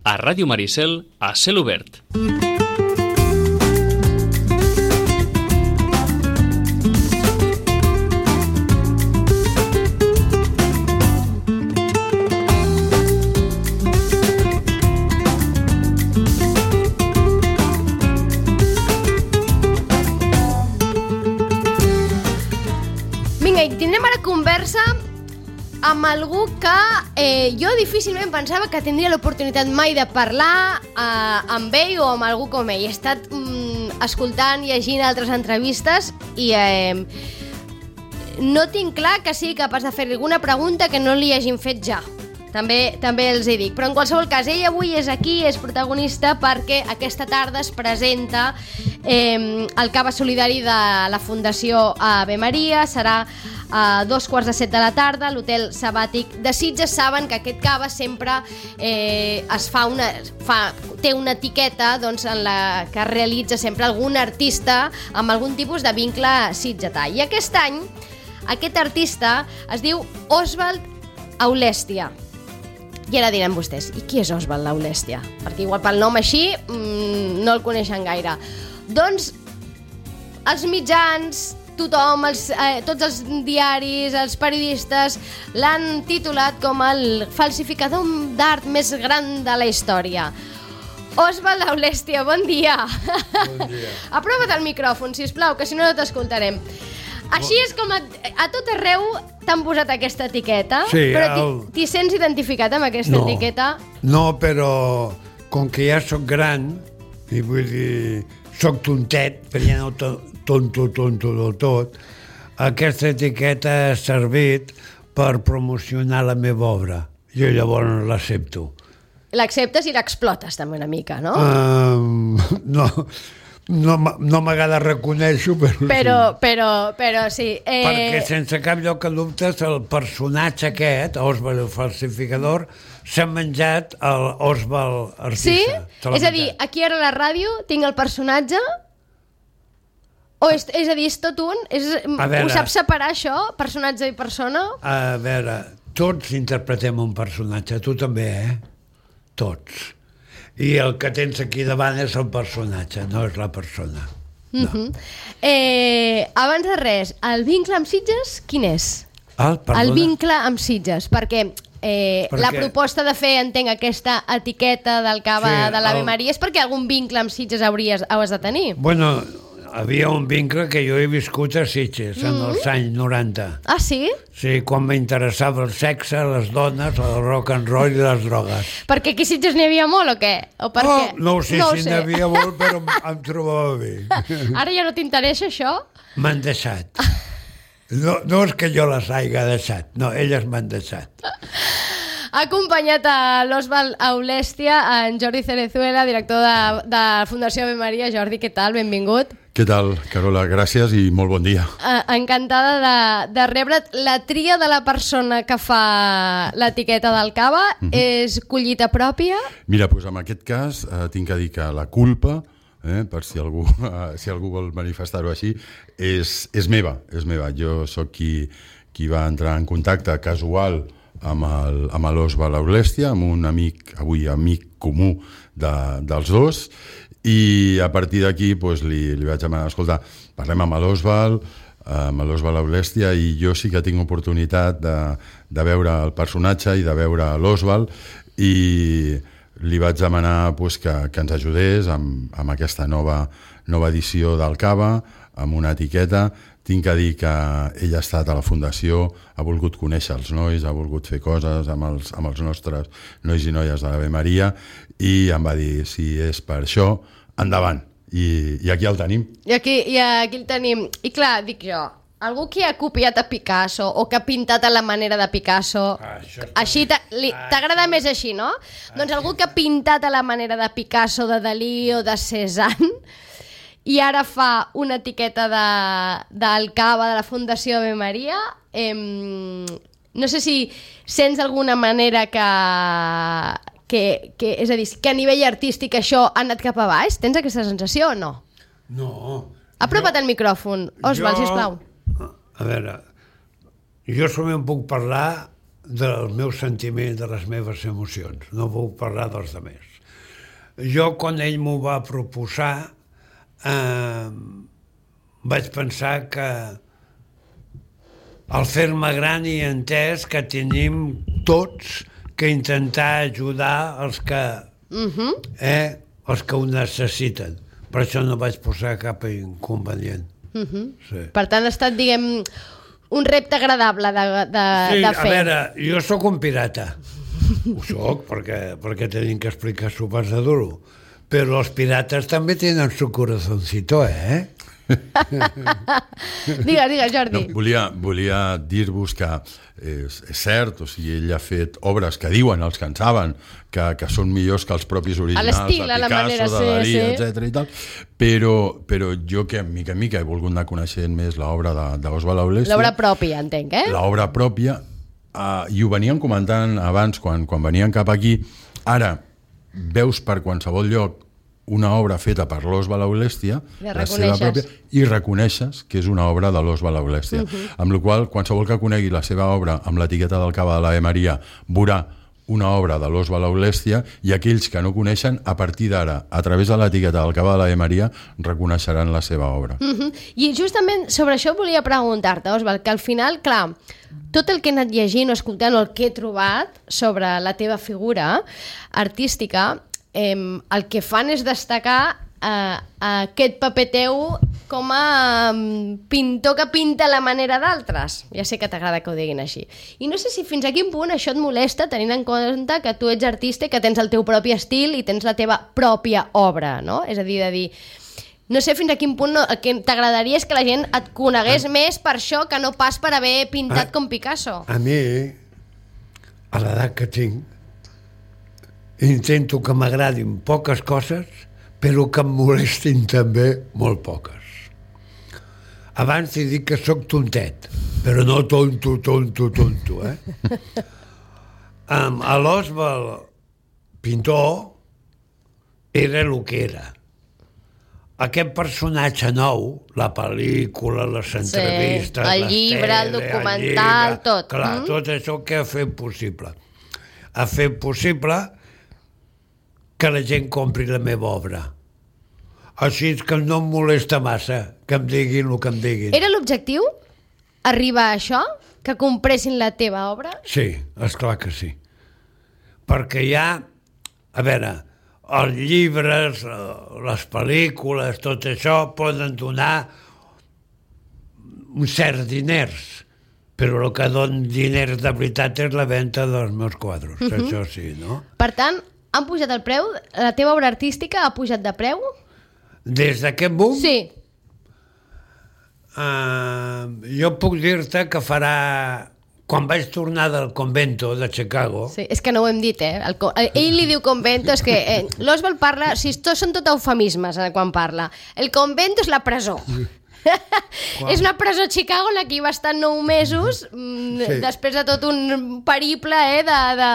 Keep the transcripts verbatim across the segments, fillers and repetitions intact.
A Ràdio Maricel, a cel obert. Vinga, i tindrem ara conversa amb algú que eh, jo difícilment pensava que tindria l'oportunitat mai de parlar eh, amb ell o amb algú com ell. He estat mm, escoltant, llegint altres entrevistes i eh, no tinc clar que sigui capaç de fer alguna pregunta que no li hagin fet ja. També, també els hi dic. Però en qualsevol cas, ell avui és aquí, és protagonista perquè aquesta tarda es presenta eh, el cava solidari de la Fundació Ave Maria. Serà a dos quarts de set de la tarda a l'Hotel Sabàtic de Sitges. Saben que aquest cava sempre eh, es fa una, fa, té una etiqueta doncs, en la que realitza sempre algun artista amb algun tipus de vincle sitgetà. I aquest any, aquest artista es diu Osvald Aulèstia. I ara diran vostès, i qui és Osvald Aulèstia? Perquè igual pel nom així mmm, no el coneixen gaire. Doncs els mitjans, tothom, els, eh, tots els diaris, els periodistes l'han titulat com el falsificador d'art més gran de la història. Osvald Aulèstia, bon dia. Bon dia. Aprova't el micròfon, sisplau, que si no no t'escoltarem. Així és com a, a tot arreu t'han posat aquesta etiqueta, sí, però el... t'hi sents identificat amb aquesta no, etiqueta? No, però com que ja sóc gran, i vull dir, sóc tontet, però ja no tonto, tonto del tot, aquesta etiqueta ha servit per promocionar la meva obra. Jo llavors l'accepto. L'acceptes i l'explotes també una mica, no? Um, no... No, no m'agrada reconèixer, però, però sí. Però, però sí. Eh... Perquè sense cap lloc de dubtes el personatge aquest, Osvald el falsificador, s'ha menjat l'Osvald artista. Sí? És a dir, aquí ara a la ràdio tinc el personatge... O és, és a dir, és tot un? És, veure, ho saps separar, això? Personatge i persona? A veure, tots interpretem un personatge, tu també, eh? Tots. I el que tens aquí davant és el personatge, no és la persona. No. Uh-huh. eh, abans de res, el vincle amb Sitges, quin és? El, el vincle amb Sitges, perquè, eh, perquè la proposta de fer, entenc, aquesta etiqueta del cava sí, de l'Ave el... Maria és perquè algun vincle amb Sitges hauries, hauries de tenir. Bueno, havia un vincle que jo he viscut a Sitges, mm-hmm. en els anys noranta. Ah, sí? Sí, quan m'interessava el sexe, les dones, el rock and roll i les drogues. Perquè aquí a Sitges n'hi havia molt o què? O per oh, què? No ho sé no si n'hi havia molt, però em trobava bé. Ara ja no t'interessa això? M'han deixat. No, no és que jo les hagi deixat, no, elles m'han deixat. Ha acompanyat a l'Osvald Aulèstia, en Jordi Cerezuela, director de, de la Fundació Ave Maria. Jordi, què tal? Benvingut. Què tal, Carola? Gràcies i molt bon dia. Uh, encantada de, de rebre't. La tria de la persona que fa l'etiqueta del cava mm-hmm. és collita pròpia? Mira, doncs en aquest cas eh, tinc que dir que la culpa, eh, per si algú, eh, si algú vol manifestar-ho així, és, és meva, és meva. Jo sóc qui, qui va entrar en contacte casual amb el, amb l'Osvald Aulèstia, amb un amic, avui amic comú de, dels dos, i a partir d'aquí doncs, li, li vaig demanar, escolta, parlem amb l'Osvald, amb l'Osvald Aulèstia, i jo sí que tinc oportunitat de, de veure el personatge i de veure l'Osvald, i li vaig demanar doncs, que, que ens ajudés amb, amb aquesta nova, nova edició del cava, amb una etiqueta. Tinc que dir que ell ha estat a la Fundació, ha volgut conèixer els nois, ha volgut fer coses amb els, amb els nostres nois i noies de l'Ave Maria, i em va dir, si és per això, endavant. I, i aquí el tenim. I aquí, I aquí el tenim. I clar, dic jo, algú que ha copiat a Picasso o que ha pintat a la manera de Picasso, ah, així t'agrada més així, no? Ah, doncs algú que ha pintat a la manera de Picasso, de Dalí o de Cézanne, i ara fa una etiqueta de, del cava de la Fundació Ave Maria. Eh, no sé si sents d'alguna manera que, que, que, és a dir, que a nivell artístic això ha anat cap a baix. Tens aquesta sensació o no? No. Apropa't jo, al micròfon, Osvald, jo, sisplau. A veure, jo solament puc parlar dels meus sentiments, de les meves emocions. No vull parlar dels altres. Jo, quan ell m'ho va proposar, eh, vaig pensar que al fer-me gran i entès que tenim tots que intentar ajudar els que, uh-huh. eh, els que ho necessiten. Per això no vaig posar cap inconvenient. Uh-huh. Sí. Per tant, ha estat, diguem, un repte agradable de, de, sí, de fer. A veure, jo sóc un pirata. Ho sóc, perquè, perquè tenim que explicar sopars de duro. Però els pirates també tenen su corazoncito, eh? Digues, digues, Jordi. No, volia volia dir-vos que és, és cert, o sigui, ell ha fet obres que diuen els que en saben que, que són millors que els propis originals, a l'estil, de a la Picasso, manera, de sí, Dalí, sí. etcètera i tal, però, però jo que mica en mica he volgut anar coneixent més l'obra d'Oswald Aulestia. L'obra pròpia, entenc, eh? L'obra pròpia, uh, i ho veníem comentant abans quan, quan venien cap aquí. Ara, veus per qualsevol lloc una obra feta per l'Oswald Aulestia, la seva pròpia, i reconeixes que és una obra de l'Oswald Aulestia. Uh-huh. Amb la qual cosa, qualsevol que conegui la seva obra amb l'etiqueta del Cava de l'Ave Maria veurà una obra de l'Oswald Aulestia, i aquells que no coneixen, a partir d'ara, a través de l'etiqueta del Cava de l'Ave Maria, reconeixeran la seva obra. Uh-huh. I justament sobre això volia preguntar-te, Oswald, que al final, clar, tot el que he anat llegint o escoltant o el que he trobat sobre la teva figura artística, Eh, el que fan és destacar eh, aquest paper teu com a um, pintor que pinta a la manera d'altres. Ja sé que t'agrada que ho diguin així. I no sé si fins a quin punt això et molesta, tenint en compte que tu ets artista i que tens el teu propi estil i tens la teva pròpia obra, no? És a dir, de dir... No sé fins a quin punt no, el que t'agradaria és que la gent et conegués ah. més per això que no pas per haver pintat ah. com Picasso. A mi, a l'edat que tinc, intento que m'agradin poques coses, però que em molestin també molt poques. Abans he dit que sóc tontet, però no tonto, tonto, tonto, eh? Um, a l'Oswald, pintor, era el que era. Aquest personatge nou, la pel·lícula, les entrevistes, sí, el llibre, el documental, el llibre, tot. Clar, mm? Tot això que ha fet possible. Ha fet possible que la gent compri la meva obra. Així que no em molesta massa que em diguin el que em diguin. Era l'objectiu? Arribar a això? Que compressin la teva obra? Sí, esclar que sí. Perquè hi ha... A veure, els llibres, les pel·lícules, tot això poden donar uns certs diners, però el que dona diners de veritat és la venda dels meus quadros. Uh-huh. Això sí, no? Per tant, han pujat el preu? La teva obra artística ha pujat de preu? Des d'aquest boom? Sí. Uh, jo puc dir-te que farà... Quan vaig tornar del convento de Chicago... Sí, és que no ho hem dit, eh? El, ell li diu convento, és que eh, l'Oswald parla... Si tot són tot eufemismes eh, quan parla. El convento és la presó. És una presó a Chicago en la que hi va estar nou mesos sí. Després de tot un periple eh, de... de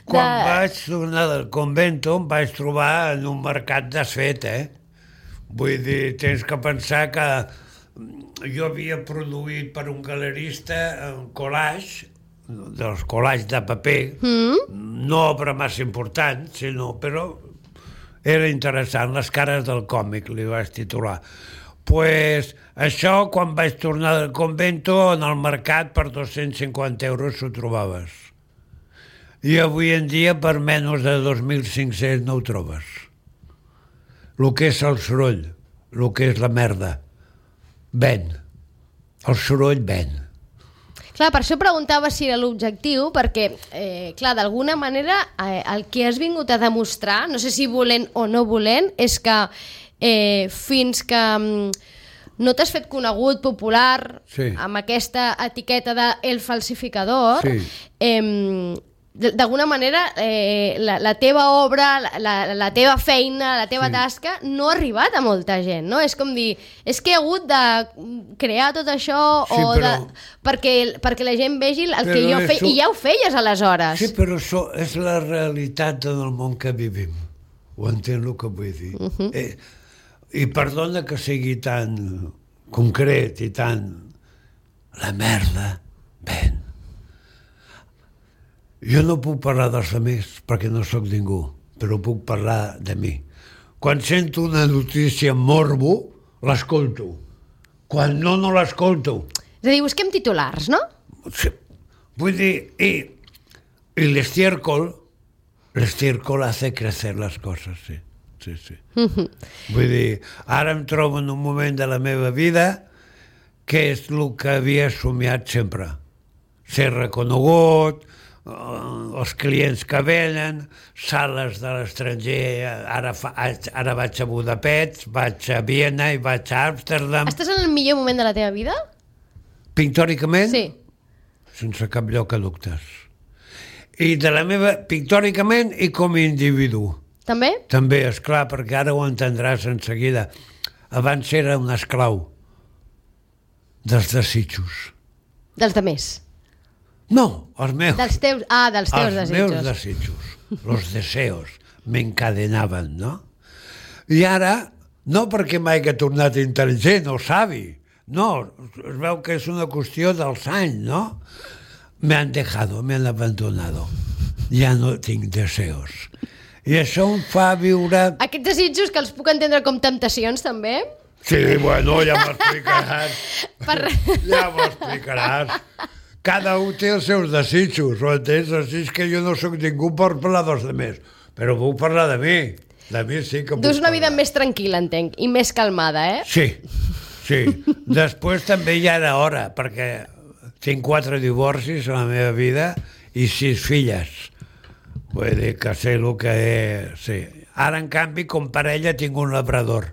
Quan de... vaig tornar del convento em vaig trobar en un mercat desfet, eh? Vull dir, tens que pensar que jo havia produït per un galerista un collage, dels collages de paper, mm. no obra massa important, sinó, però era interessant, les cares del còmic, li vaig titular. Pues això, quan vaig tornar del convento, en el mercat per dos-cents cinquanta euros ho trobaves. I avui en dia per menys de dos mil cinc-cents no ho trobes. El que és el soroll, el que és la merda, ven. El soroll ven. Clar, per això preguntava si era l'objectiu, perquè, eh, clar, d'alguna manera eh, el que has vingut a demostrar, no sé si volent o no volent, és que eh, fins que mm, no t'has fet conegut, popular, sí. amb aquesta etiqueta de el falsificador, sí. eh, d'alguna manera eh, la, la teva obra, la, la teva feina, la teva sí. tasca no ha arribat a molta gent, no? És com dir, és que he hagut de crear tot això sí, o però... de, perquè, perquè la gent vegi el però que jo feia, eso... i ja ho feies aleshores. Sí, però això és la realitat del món que vivim. Ho entens el que vull dir? Uh-huh. eh, I perdona que sigui tan concret i tan... La merda ven. Jo no puc parlar dels altres perquè no sóc ningú, però puc parlar de mi. Quan sento una notícia morbo, l'escolto. Quan no, no l'escolto. És a dir, busquem titulars, no? Sí. Vull dir, i, i l'estiércol, l'estiércol hace crecer les coses, sí. Sí, sí. Mm-hmm. Vull dir, ara em trobo en un moment de la meva vida que és el que havia somiat sempre. Ser reconegut, els clients que venen, sales de l'estranger, ara, fa, ara vaig a Budapest, vaig a Viena i vaig a Amsterdam. Estàs en el millor moment de la teva vida? Pictòricament? Sí. Sense cap lloc a dubtes. I de la meva, pictòricament i com a individu. També? També, esclar, perquè ara ho entendràs en seguida. Abans era un esclau dels desitjos. Dels de més? No, els meus. Dels teus, ah, dels teus els desitjos. Els meus desitjos, los deseos, m'encadenaven, no? I ara, no perquè m'hagi tornat intel·ligent o savi, no, es veu que és una qüestió dels anys, no? Me han dejado, me han abandonado. Ja no tinc deseos. I això em fa viure... Aquests desitjos que els puc entendre com temptacions, també? Sí, bueno, ja m'ho explicaràs. Per... Ja m'ho explicaràs. Cada un té els seus desitjos, ho entens? Així és que jo no sóc ningú per parlar dels altres, però puc parlar de mi. De mi sí que puc Dus una parlar. vida més tranquil·la, entenc, i més calmada, eh? Sí, sí. Després també ja era hora, perquè tinc quatre divorcis a la meva vida i sis filles. Vull dir que sé el que és... Sí. Ara, en canvi, com parella tinc un labrador.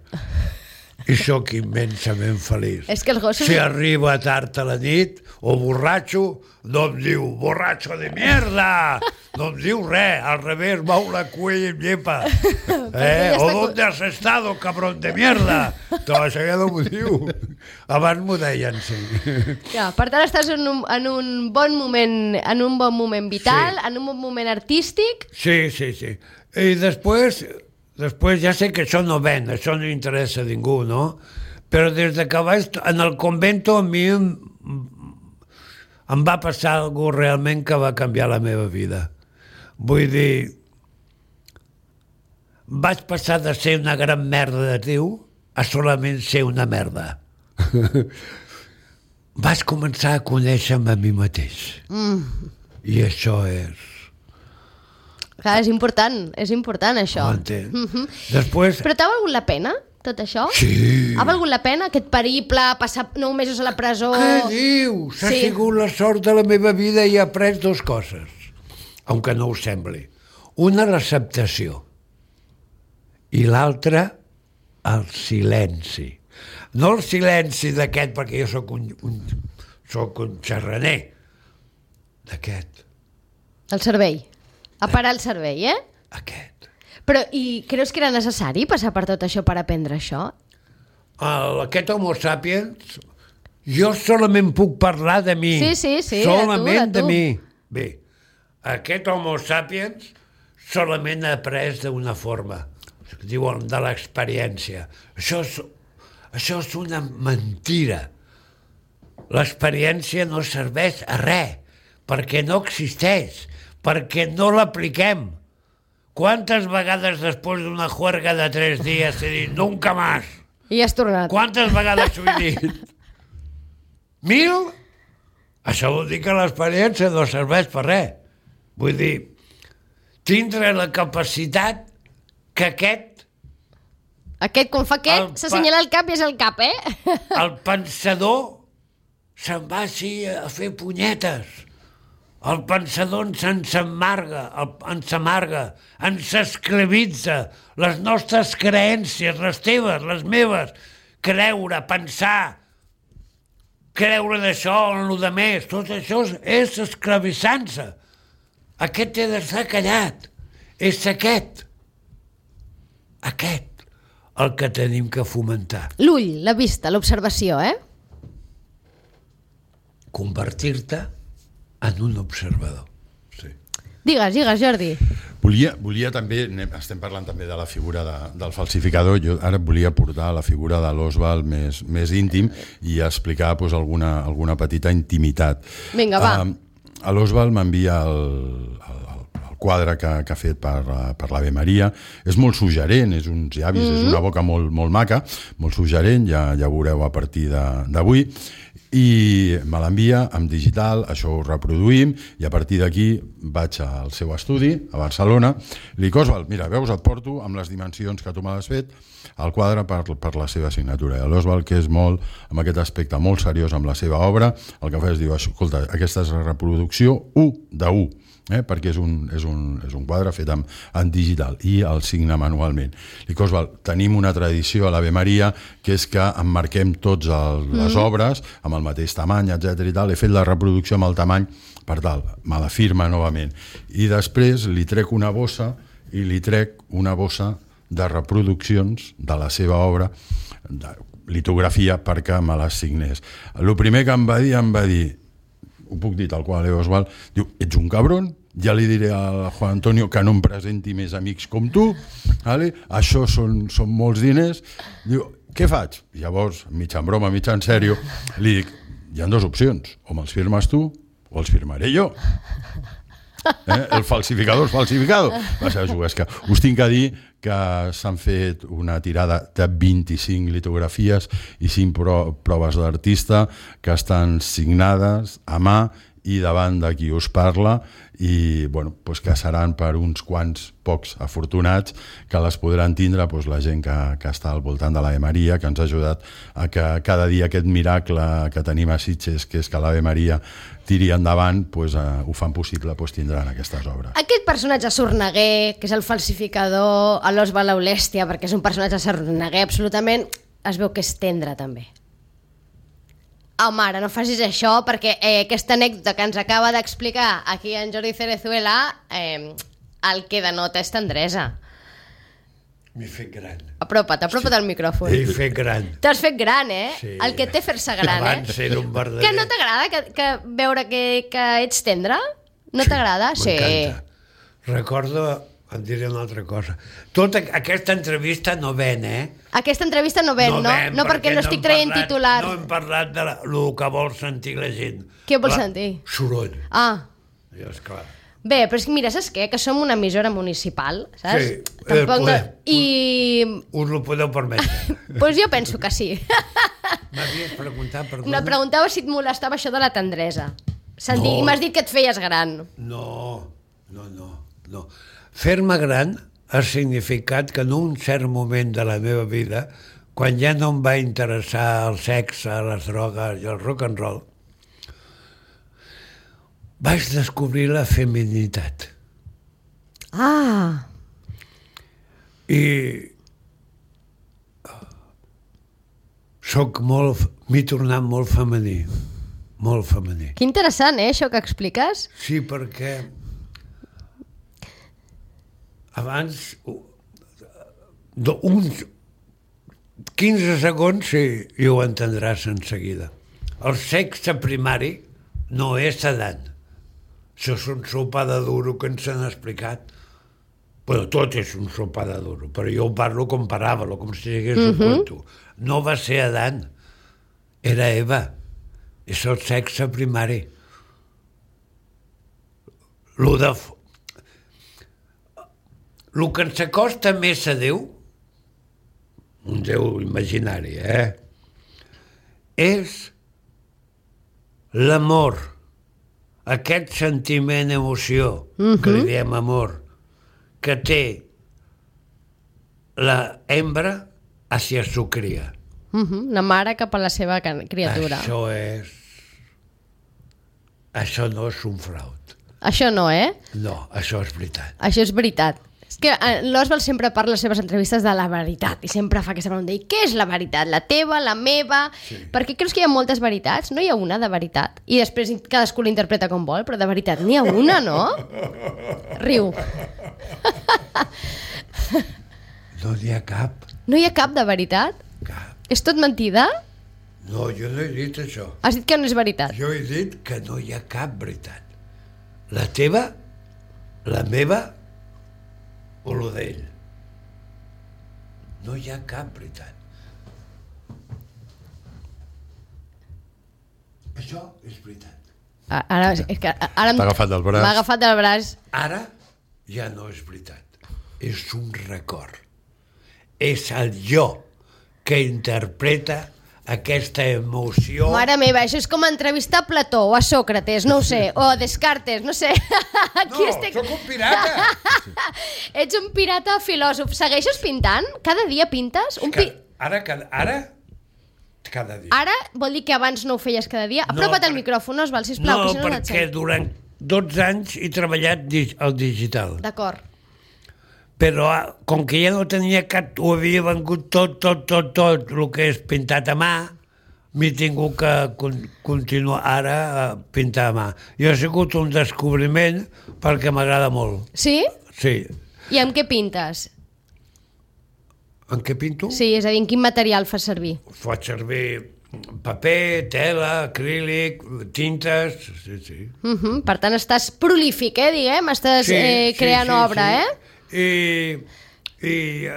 I sóc immensament feliç. És que els gossos... Si arriba tard a la nit o borratxo, no em diu borratxo de mierda, no em diu res, al revés, mou la cuella i em llepa. Eh? O ¿dónde has estado, cabrón de mierda? Tot això ja no m'ho diu. Abans m'ho deien, sí. Ja, per tant, estàs en un, en un bon moment, en un bon moment vital, Sí. en un bon moment artístic. Sí, sí, sí. I després, després ja sé que això no ven, això no interessa a ningú, no? Però des de que vaig en el convento a mi em, em va passar alguna cosa realment que va canviar la meva vida. Vull dir, vaig passar de ser una gran merda de tio a solament ser una merda. Vaig començar a conèixer-me a mi mateix. Mm. I això és... Clar, és important, és important això. Ho entens? Mhm. Després... Però t'ha valgut la pena, tot això? Sí. Ha valgut la pena aquest periple, passar nou mesos a la presó? Què dius? Ha Sí. sigut la sort de la meva vida i he après dues coses, aunque no ho sembli. Una, l'acceptació, i l'altra, el silenci. No el silenci d'aquest, perquè jo sóc un, un, sóc un xerraner, d'aquest, El cervell. A parar el cervell, eh? aquest. Però, i creus que era necessari passar per tot això per aprendre això? El, aquest homo sapiens, jo solament puc parlar de mi. Sí, sí, sí, de tu, solament de tu. de mi. Bé, aquest homo sapiens solament ha après d'una forma, diuen de l'experiència. Això és, això és una mentira. L'experiència no serveix a res, perquè no existeix, perquè no l'apliquem. Quantes vegades després d'una juerga de tres dies he dit nunca más? I has tornat. Quantes vegades ho he dit? Mil? Això vol dir que l'experiència no serveix per res. Vull dir, tindre la capacitat que aquest, Aquest, quan fa El aquest, pa- s'assenyala el cap i és el cap, eh? el pensador se'n va així a fer punyetes. El pensador ens ens amarga, el, ens amarga, ens esclavitza, les nostres creències, les teves, les meves, creure, pensar, creure d'això, en lo de més, tot això és, és esclavitzant-se. Aquest té d'estar callat, és aquest, aquest, el que tenim que fomentar. L'ull, la vista, l'observació, eh? Convertir-te en un observador. Sí. Digues, digues, Jordi. Volia, volia també, anem- estem parlant també de la figura de, del falsificador, jo ara volia portar la figura de l'Oswald més, més íntim i explicar pues, alguna, alguna petita intimitat. Vinga, va. Uh, L'Oswald m'envia el, quadre que, que ha fet per, per l'Ave Maria. És molt suggerent, és uns llavis, mm-hmm. és una boca molt, molt maca, molt suggerent, ja, ja veureu a partir d'avui. I me l'envia en digital, això ho reproduïm, i a partir d'aquí vaig al seu estudi, a Barcelona, li dic, Oswald, mira, veus, et porto amb les dimensions que tu m'has fet, el quadre per, per la seva signatura. I l'Oswald, que és molt, amb aquest aspecte molt seriós amb la seva obra, el que fa és dir, escolta, aquesta és la reproducció u de u, eh? perquè és un, és, un, és un quadre fet en, en digital i el signa manualment. Dic, Oswald, tenim una tradició a l'Ave Maria que és que emmarquem tots el, les mm. obres amb el mateix tamany, etcètera i tal. He fet la reproducció amb el tamany per tal, me la firma novament. I després li trec una bossa i li trec una bossa de reproduccions de la seva obra, de litografia, perquè me les signés. El primer que em va dir, em va dir, ho puc dir tal qual, eh, Oswald, diu, ets un cabron, ja li diré al Juan Antonio que no em presenti més amics com tu, vale? Això són, són molts diners. Diu, què faig? Llavors, mig en broma, mig en sèrio, li dic, hi ha dues opcions, o me'ls firmes tu o els firmaré jo. Eh? El falsificador és falsificado. Va ser juguesca. Us tinc a dir que s'han fet una tirada de vint-i-cinc litografies i cinc pro proves d'artista que estan signades a mà i davant de qui us parla i bueno, pues que seran per uns quants pocs afortunats que les podran tindre pues, la gent que, que està al voltant de l'Ave Maria, que ens ha ajudat a que cada dia aquest miracle que tenim a Sitges, que és que l'Ave Maria tiri endavant, pues, uh, ho fan possible, pues, tindran aquestes obres. Aquest personatge Sorneguer, que és el falsificador, a l'Oswald Aulèstia, perquè és un personatge Sorneguer absolutament, es veu que és tendre també. Oh, mare, no facis això, perquè eh, aquesta anècdota que ens acaba d'explicar aquí en Jordi Cerezuela, eh, el que denota és tendresa. M'he fet gran. Apropa't, apropa't al micròfon. M'he fet gran. T'has fet gran, eh? Sí. El que té fer-se gran, eh? Abans era un verdader... Que no t'agrada que, que veure que, que ets tendre? No sí, t'agrada? Sí. M'encanta. Recordo, em diré una altra cosa. Tota aquesta entrevista no ven, eh? Aquesta entrevista no ven, no? No, ven, no perquè, perquè no estic traient parlat, titular. No hem parlat de la, lo que vol sentir la gent. Què vol la, sentir? Soroll. Ah. I esclar. Bé, però és que mira, saps què? Que som una emissora municipal, saps? Sí, Tampoc poder, no... I... Us ho podeu permetre. Doncs pues jo penso que sí. M'havies preguntat, perdona? No, et preguntava si et molestava això de la tendresa. No. I m'has dit que et feies gran. No, no, no. no. Fer-me gran ha significat que en un cert moment de la meva vida, quan ja no em va interessar el sexe, les drogues i el rock and roll, vaig descobrir la feminitat. Ah! I soc molt... m'he tornat molt femení. Molt femení. Que interessant, eh, això que expliques? Sí, perquè abans uns quinze segons sí, i ho entendràs en seguida. El sexe primari no és sedant. Això és un sopa de duro que ens han explicat. Bueno, tot és un sopa de duro, però jo ho parlo com paràbolo, com si hagués un conto. No va ser Adán, era Eva. És el sexe primari. Lo de... El que ens acosta més a Déu, un Déu imaginari, eh? És l'amor, aquest sentiment, emoció, uh-huh. que li diem amor, que té la hembra hacia su cria. Uh-huh. La mare cap a la seva criatura. Això és... Això no és un fraud. Això no, eh? No, això és veritat. Això és veritat. És que l'Oswald sempre parla a les seves entrevistes de la veritat i sempre fa aquesta pregunta, i què és la veritat? La teva, la meva? Sí. Perquè creus que hi ha moltes veritats? No hi ha una de veritat? I després cadascú l'interpreta com vol, però de veritat n'hi ha una, no? Riu. No n'hi ha cap. No hi ha cap de veritat? Cap. És tot mentida? No, jo no he dit això. Has dit que no és veritat? Jo he dit que no hi ha cap veritat. La teva, la meva o lo d'ell. No hi ha cap veritat. Això és veritat. Ara, és que ara T'ha agafat del braç. M'ha agafat del braç. Ara ja no és veritat. És un record. És el jo que interpreta aquesta emoció... Mare meva, això és com entrevistar a Plató o a Sòcrates, no ho sé, o a Descartes, no sé. Aquí no, estic... sóc un pirata! Ets un pirata filòsof. Segueixes pintant? Cada dia pintes? Un pi... Ara, cada, ara, cada dia. Ara vol dir que abans no ho feies cada dia? Apropa't no, per... al micròfon, Osval, sisplau. No, que si no perquè no durant dotze anys he treballat al digital. D'acord. Però com que ja no tenia cap, ho havia vengut tot, tot, tot, tot, el que és pintat a mà, m'he tingut que con continuar ara a pintar a mà. I ha sigut un descobriment perquè m'agrada molt. Sí? Sí. I amb què pintes? En què pinto? Sí, és a dir, en quin material fas servir? Faig servir paper, tela, acrílic, tintes, sí, sí. Uh -huh. Per tant, estàs prolífic, eh, diguem? Estàs sí, eh, creant sí, sí, obra, sí. eh? I, i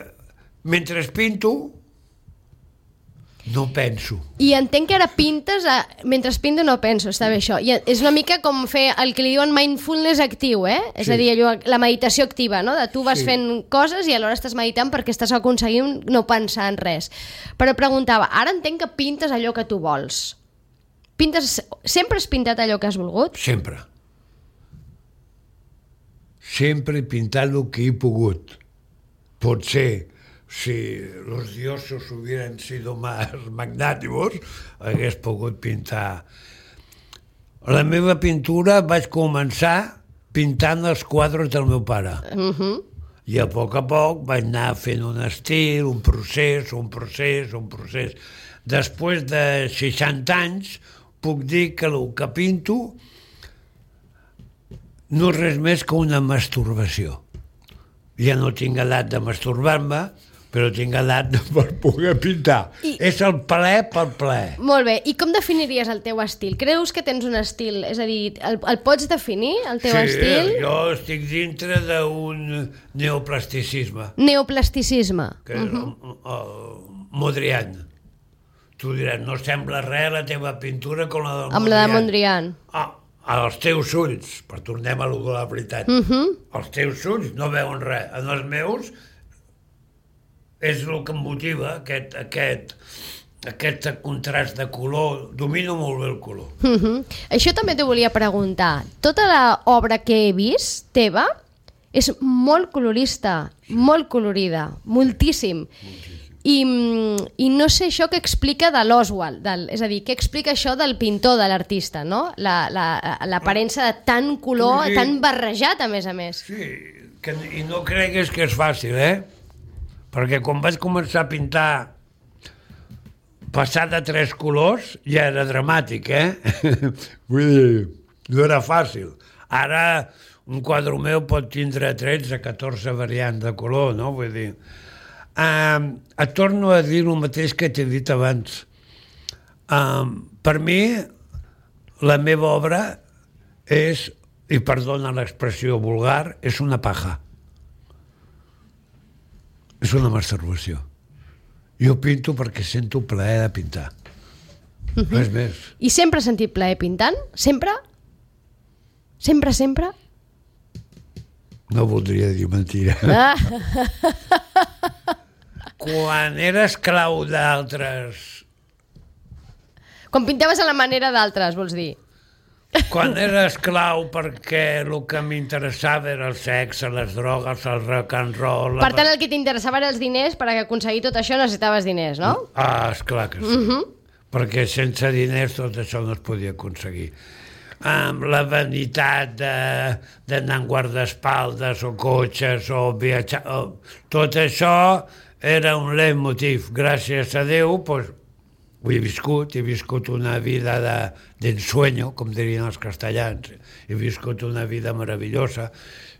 mentre pinto no penso. I entenc que ara pintes a... mentre pinto no penso, està bé això. I és una mica com fer el que li diuen mindfulness actiu, eh? És sí. a dir, allò, la meditació activa, no? De tu vas sí. fent coses i alhora estàs meditant perquè estàs aconseguint no pensar en res. Però preguntava, ara entenc que pintes allò que tu vols. Pintes... Sempre has pintat allò que has volgut? Sempre. Sempre he pintat el que he pogut. Potser, si los dioses hubieran sido más magnátimos, hagués pogut pintar. La meva pintura vaig començar pintant els quadres del meu pare. Uh-huh. I a poc a poc vaig anar fent un estil, un procés, un procés, un procés. Després de seixanta anys, puc dir que el que pinto no és res més que una masturbació. Ja no tinc edat de masturbar-me, però tinc edat per poder pintar. I... És el plaer pel plaer. Molt bé. I com definiries el teu estil? Creus que tens un estil? És a dir, el, el pots definir, el teu sí, estil? Sí, jo estic dintre d'un neoplasticisme. Neoplasticisme. Que és uh-huh. el, el Mondrian. Tu diràs, no sembla res la teva pintura com la del Mondrian. Amb la de Mondrian. Ah, als teus ulls, per tornem a lo de la veritat, uh-huh. els teus ulls no veuen res. En els meus és el que em motiva, aquest, aquest, aquest contrast de color. Domino molt bé el color. Uh-huh. Això també t'ho volia preguntar. Tota l'obra que he vist, teva, és molt colorista, molt colorida, moltíssim. moltíssim. I, i no sé això què explica de l'Oswald, és a dir, què explica això del pintor, de l'artista, no? L'aparença la, de tant color, sí. tan barrejat, a més a més. Sí, que, i no cregues que és fàcil, eh? Perquè quan vaig començar a pintar passar de tres colors ja era dramàtic, eh? Vull dir, no era fàcil. Ara un quadre meu pot tindre tretze, catorze variants de color, no? Vull dir... Um, et torno a dir el mateix que t'he dit abans. Um, per mi, la meva obra és, i perdona l'expressió vulgar, és una paja. És una masturbació. Jo pinto perquè sento plaer de pintar. Uh-huh. No és més. I sempre has sentit plaer pintant? Sempre? Sempre, sempre? No voldria dir mentira. Ah. Quan era esclau d'altres... Quan pintaves a la manera d'altres, vols dir? Quan era esclau perquè el que m'interessava era el sexe, les drogues, el rock and roll... Per tant, el que t'interessava eren els diners, per aconseguir tot això necessitaves diners, no? Ah, esclar que sí. Uh-huh. Perquè sense diners tot això no es podia aconseguir. Amb la vanitat d'anar en guardaespaldes o cotxes o viatjar... O, tot això era un leitmotiv. Gràcies a Déu, doncs, ho he viscut, he viscut una vida d'ensueño, com dirien els castellans. He viscut una vida meravellosa.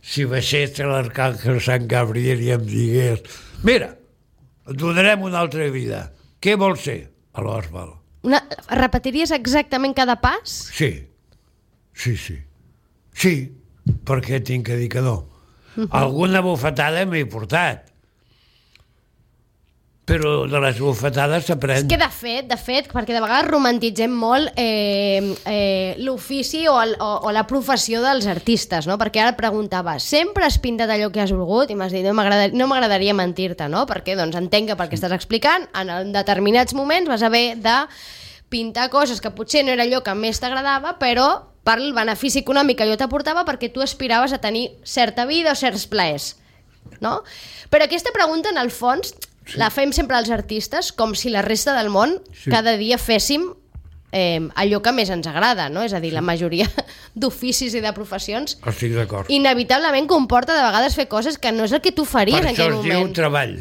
Si baixés l'arcàngel Sant Gabriel i em digués mira, et donarem una altra vida. Què vols ser? A l'Oswald. Una... Repetiries exactament cada pas? Sí. Sí, sí. Sí, perquè tinc que dir que no. Uh-huh. Alguna bufetada m'he portat. però de les bufetades s'aprèn. És que de fet, de fet, perquè de vegades romantitzem molt eh, eh, l'ofici o, el, o, o la professió dels artistes, no? Perquè ara et preguntava, sempre has pintat allò que has volgut? I m'has dit, no m'agradaria no m'agradaria mentir-te, no? Perquè doncs entenc que pel que estàs explicant, en determinats moments vas haver de pintar coses que potser no era allò que més t'agradava, però per el benefici econòmic que allò t'aportava perquè tu aspiraves a tenir certa vida o certs plaers, no? Però aquesta pregunta, en el fons, sí. la fem sempre als artistes, com si la resta del món sí. cada dia féssim eh, allò que més ens agrada, no? És a dir, sí. la majoria d'oficis i de professions estic d'acord. Inevitablement comporta de vegades fer coses que no és el que tu faries per en aquell moment. moment. Per això es diu treball.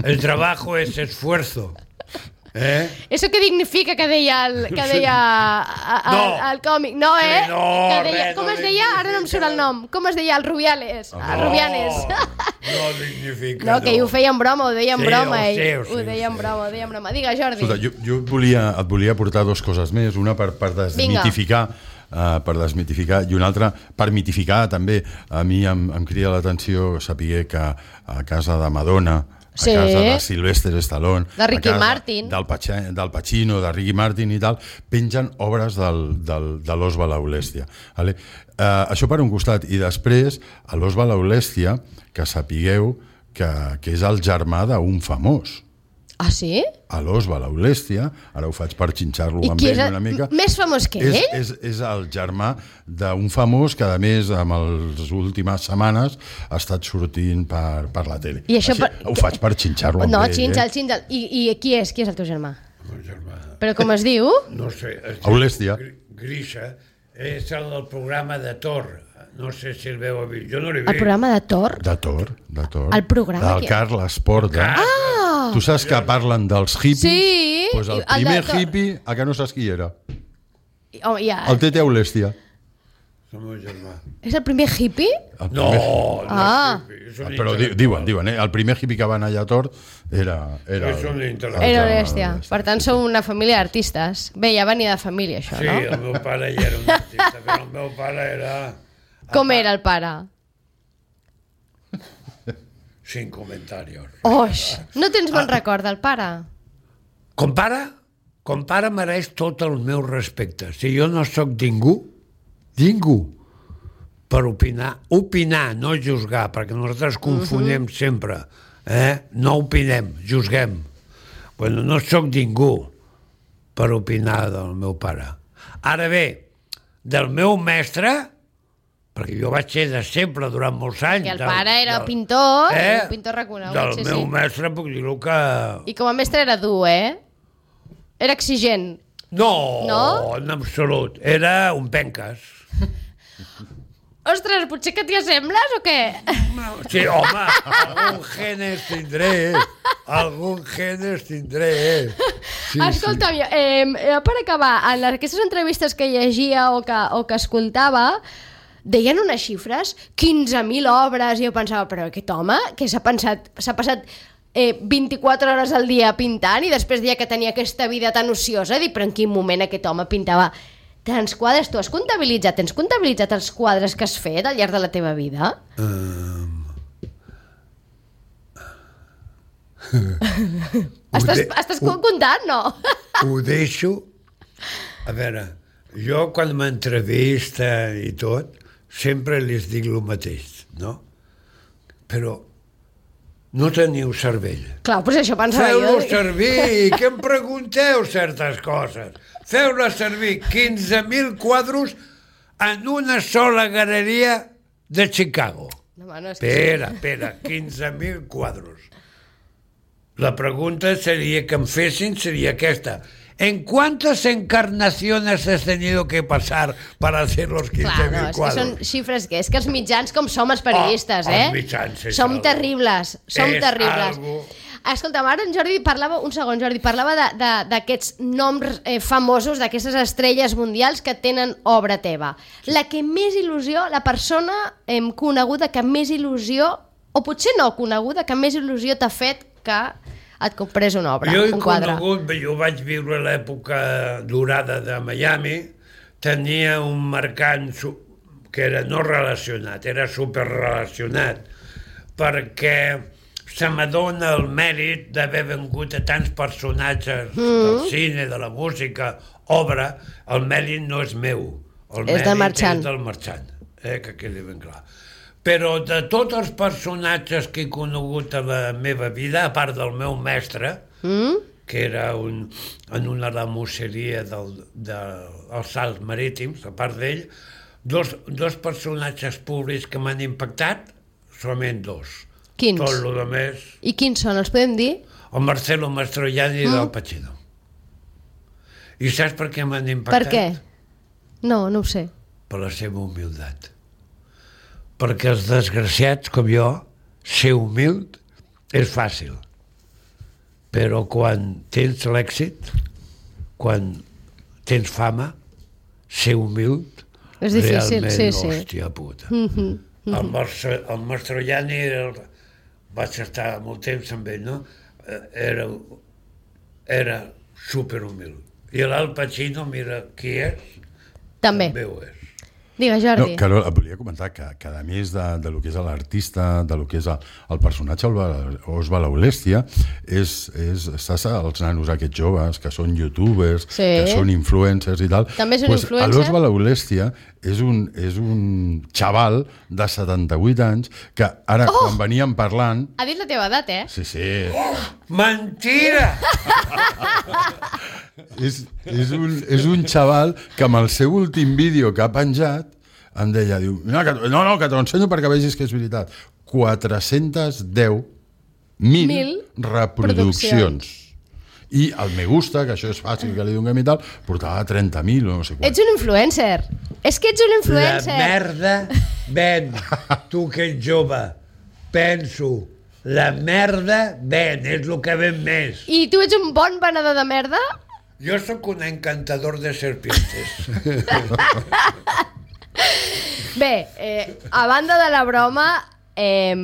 El trabajo es esfuerzo. Eh? Eso que dignifica que deia el, que deia a, a, no. el còmic, no, eh? Sí, no, que deia, res, com no es deia? Ara no em surt el nom. Com es deia? El Rubiales. Oh, el Rubianes. No dignifica, no. que no. ho feia en broma, ho deia en sí, broma. Ho, ell. sé, ho, sé, ho deia en broma, ho deia en broma. Digue, Jordi. Escolta, jo, jo et, volia, et volia portar dues coses més, una per, per desmitificar uh, per desmitificar i una altra per mitificar també. A mi em, em crida l'atenció saber que a casa de Madonna, a sí. casa de Sylvester Stallone, de Ricky a casa Martin, del, Pache, del Pacino, de Ricky Martin i tal, pengen obres del, del, de l'Os Balaulèstia. Vale? Uh, això per un costat. I després, a l'Os Balaulèstia, que sapigueu que, que és el germà d'un famós. Ah, sí? A l'Os Balaulèstia, ara ho faig per xinxar-lo amb ell una mica. Més famós que és, ell? És, és el germà d'un famós que, a més, en les últimes setmanes ha estat sortint per, per la tele. I això Així, per... Ho faig per xinxar-lo amb no, ell. xinxal, eh? xinxal. I, I qui és? Qui és el teu germà? El germà. Però com es diu? No sé. Aulèstia. Grisha és el del programa de Thor. No sé si el veu a vist. Jo no l'he vist. El programa de Thor? De Thor, de Thor. El programa? Del Carles Porta. Ah! Tu saps que parlen dels hippies? Sí. Pues el primer el hippie, a que no saps qui era? Oh, ja. El Tete Aulèstia. El meu germà. És el primer hippie? No, El primer... no ah. és hippie. Però di, diuen, diuen, eh? El primer hippie que va anar allà a Thor era... Era, és un intel·lectual. Era Aulèstia. Per tant, sou una família d'artistes. Bé, ja venia de família, això, sí, no? Sí, el meu pare ja era un artista, però el meu pare era... Com era el pare? Sin comentarios. Oix, no tens bon record del pare? Com pare, com pare mereix tot el meu respecte. Si jo no sóc ningú, ningú, per opinar, opinar, no juzgar, perquè nosaltres confonem uh-huh. sempre, eh? No opinem, juzguem. Bueno, no sóc ningú per opinar del meu pare. Ara bé, del meu mestre, perquè jo vaig ser de sempre durant molts anys. Que el del, pare era del, pintor, eh? un pintor reconegut. Del sí, meu sí. mestre puc dir-ho que... I com a mestre era dur, eh? Era exigent. No, no? en absolut. Era un penques. Ostres, potser que t'hi assembles o què? Sí, home, algun genes tindré. Algun genes tindré. Sí, escolta'm, sí. Eh, per acabar, en aquestes entrevistes que llegia o que, o que escoltava, deien unes xifres, quinze mil obres, i jo pensava, però aquest home, que s'ha pensat, s'ha passat eh, vint-i-quatre hores al dia pintant i després deia que tenia aquesta vida tan ociosa, dic, però en quin moment aquest home pintava tants quadres? Tu has comptabilitzat, tens comptabilitzat els quadres que has fet al llarg de la teva vida? Um... estàs, de... estàs ho... comptant, no? Ho deixo. A veure, jo quan m'entrevista i tot, sempre les dic el mateix, no? Però no teniu cervell. Clar, doncs això pensava jo. Feu-lo servir, que em pregunteu certes coses. Feu-la servir quinze mil quadros en una sola galeria de Chicago. No, no, és que... Espera, espera, quinze mil quadros. La pregunta seria que em fessin seria aquesta. ¿En cuántas encarnaciones has tenido que pasar para hacer los quinze mil Clar, no, quadros? és que són xifres que és que els mitjans com som els periodistes, oh, eh? Els mitjans és som algo. terribles, som és terribles. Algo. Escolta'm, ara en Jordi parlava, un segon, Jordi, parlava d'aquests noms eh, famosos, d'aquestes estrelles mundials que tenen obra teva. La que més il·lusió, la persona eh, coneguda que més il·lusió, o potser no coneguda, que més il·lusió t'ha fet que et comprés una obra, jo un quadre. Jo he conegut, jo vaig viure l'època dorada de Miami, tenia un mercant que era no relacionat, era superrelacionat, perquè se m'adona el mèrit d'haver vengut a tants personatges mm. del cine, de la música, obra, el mèrit no és meu, el és mèrit del marxant. és del marxant, eh, que quedi ben clar. Però de tots els personatges que he conegut a la meva vida, a part del meu mestre, mm? que era un, en una ramusseria dels de, salts marítims, a part d'ell, dos, dos personatges públics que m'han impactat, solament dos. Quins? Tot el més... I quins són? Els podem dir? El Marcelo Mastroianni mm. del Pacino. I saps per què m'han impactat? Per què? No, no ho sé. Per la seva humilitat. Perquè els desgraciats, com jo, ser humil és fàcil. Però quan tens l'èxit, quan tens fama, ser humil, és difícil, realment, sí, sí. hòstia puta. Mm-hmm. Mm-hmm. El, Marce, el Mastroianni, el, vaig estar molt temps amb ell, no? Era, era superhumil. I l'Al Pacino, mira qui és, també, també ho és. Digues, Jordi. No, Carol, et volia comentar que, que a més de, de lo que és l'artista, de lo que és el, el personatge Osvaldo Aulèstia, és, és, estàs als nanos aquests joves que són youtubers, sí. que són influencers i tal. També és un pues, influencer? L'Osvaldo Aulèstia és un, és un xaval de setanta-vuit anys que ara, oh! quan veníem parlant... Ha dit la teva edat, eh? Sí, sí. Oh, mentira! és, és, un, és un xaval que amb el seu últim vídeo que ha penjat em deia, diu, no, que, no, no, que t'ho ensenyo perquè vegis que és veritat. quatre-centes deu mil, mil reproduccions. I el me gusta, que això és fàcil que li donem i tal, portava trenta mil o no sé quant. Ets un influencer. És que ets un influencer. La merda ven. Tu que ets jove, penso, la merda ven, és el que ven més. I tu ets un bon venedor de merda? Jo sóc un encantador de serpientes. Bé, eh, a banda de la broma, eh,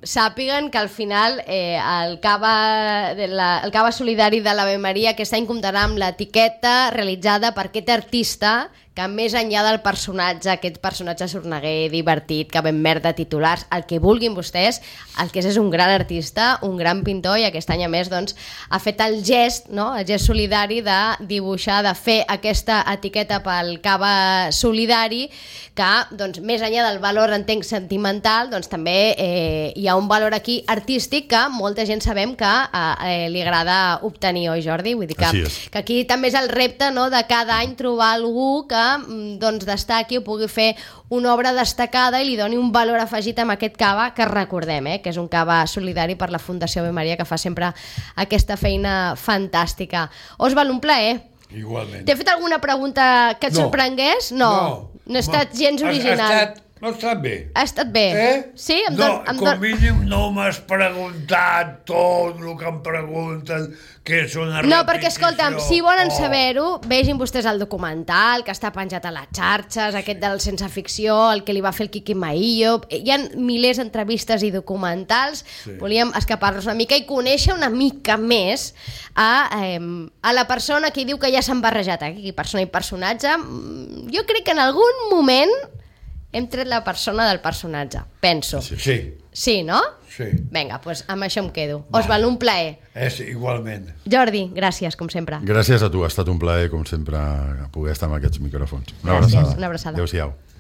sàpiguen que al final eh, el, cava de la, el cava solidari de l'Ave Maria aquest any comptarà amb l'etiqueta realitzada per aquest artista que més enllà del personatge, aquest personatge sorneguer, divertit, que ben merda titulars, el que vulguin vostès, el que és és un gran artista, un gran pintor, i aquest any a més doncs, ha fet el gest, no? el gest solidari de dibuixar, de fer aquesta etiqueta pel cava solidari, que doncs, més enllà del valor entenc sentimental, doncs també eh, hi ha un valor aquí artístic que molta gent sabem que eh, li agrada obtenir, oi Jordi? Vull dir que, que aquí també és el repte, no?, de cada any trobar algú que doncs, destaqui o pugui fer una obra destacada i li doni un valor afegit amb aquest cava que recordem, eh, que és un cava solidari per la Fundació Ave Maria, que fa sempre aquesta feina fantàstica. Osvald, un plaer. Igualment. T'he fet alguna pregunta que et no. sorprengués? No. No, no ha estat gens original. Ha estat, no ha estat bé. Ha estat bé. Eh? Sí? Em no, don, em com don... mínim no m'has preguntat tot el que em pregunten, que és una repetició. No, perquè, escolta'm, si volen oh. saber-ho, vegin vostès el documental que està penjat a les xarxes, aquest del Sense Ficció, el que li va fer el Quiqui Maillo. Hi ha milers d'entrevistes i documentals. Sí. Volíem escapar-nos una mica i conèixer una mica més a, eh, a la persona que diu que ja s'han barrejat aquí, persona i personatge. Jo crec que en algun moment hem tret la persona del personatge, penso. Sí. Sí, sí no? Sí. Vinga, doncs amb això em quedo. Osvald, un plaer. És igualment. Jordi, gràcies, com sempre. Gràcies a tu, ha estat un plaer, com sempre, poder estar amb aquests micròfons. Una gràcies, abraçada. una abraçada. Adéu-siau.